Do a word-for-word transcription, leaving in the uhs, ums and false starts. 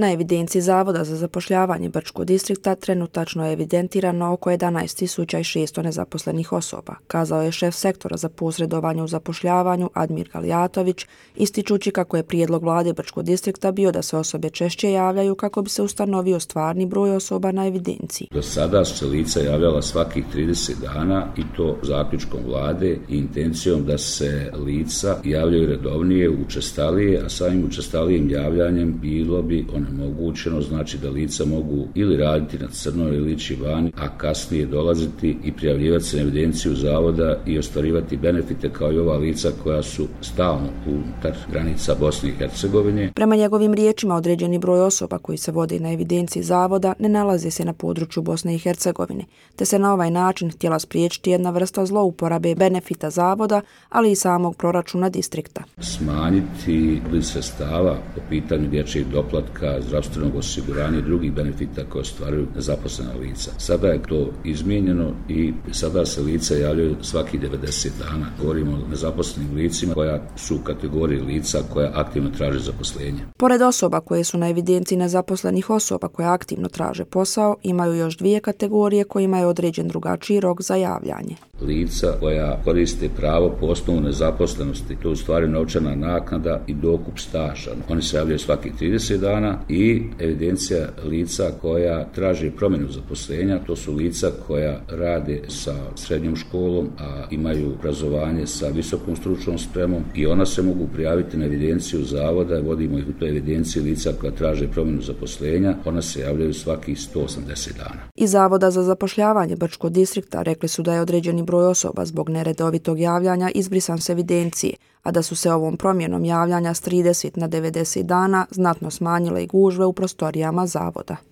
Na evidenciji Zavoda za zapošljavanje Brčkog distrikta trenutačno je evidentirano oko jedanaest tisuća šesto nezaposlenih osoba, kazao je šef sektora za posredovanje u zapošljavanju Admir Galijatović, ističući kako je prijedlog vlade Brčkog distrikta bio da se osobe češće javljaju kako bi se ustanovio stvarni broj osoba na evidenciji. Do sada su se lica javljala svakih trideset dana i to zaključkom vlade i intencijom da se lica javljaju redovnije, učestalije, a samim učestalijim javljanjem bilo bi onemogućeno, znači da lica mogu ili raditi na crno ili ići vani, a kasnije dolaziti i prijavljivati se na evidenciju zavoda i ostvarivati benefite kao i ova lica koja su stalno unutar granica Bosne i Hercegovine. Prema njegovim riječima, određeni broj osoba koji se vode na evidenciji zavoda ne nalaze se na području Bosne i Hercegovine, te se na ovaj način htjela spriječiti jedna vrsta zlouporabe benefita zavoda, ali i samog proračuna distrikta. Smanjiti broj sredstava po pitanju dječjeg doplatka, zdravstvenog osiguranja i drugih benefita koje ostvaruju nezaposlena lica. Sada je to izmijenjeno i sada se lica javljaju svaki devedeset dana. Govorimo o nezaposlenim licima koja su u kategoriji lica koja aktivno traže zaposlenje. Pored osoba koje su na evidenciji nezaposlenih osoba koje aktivno traže posao, imaju još dvije kategorije kojima je određen drugačiji rok za javljanje. Lica koja koriste pravo po osnovu nezaposlenosti, to je u stvari novčana naknada i dokup staža. Oni se javljaju svaki trideset dana i evidencija lica koja traži promjenu zaposlenja, to su lica koja rade sa srednjom školom, a imaju obrazovanje sa visokom stručnom spremom i ona se mogu prijaviti na evidenciju zavoda, vodimo ih u toj evidenciji lica koja traže promjenu zaposlenja, ona se javljaju svakih sto osamdeset dana. Iz Zavoda za zapošljavanje Brčkog distrikta rekli su da je određeni broj osoba zbog neredovitog javljanja izbrisan s evidencije, a da su se ovom promjenom javljanja s trideset na devedeset dana znatno smanjile i gužve u prostorijama zavoda.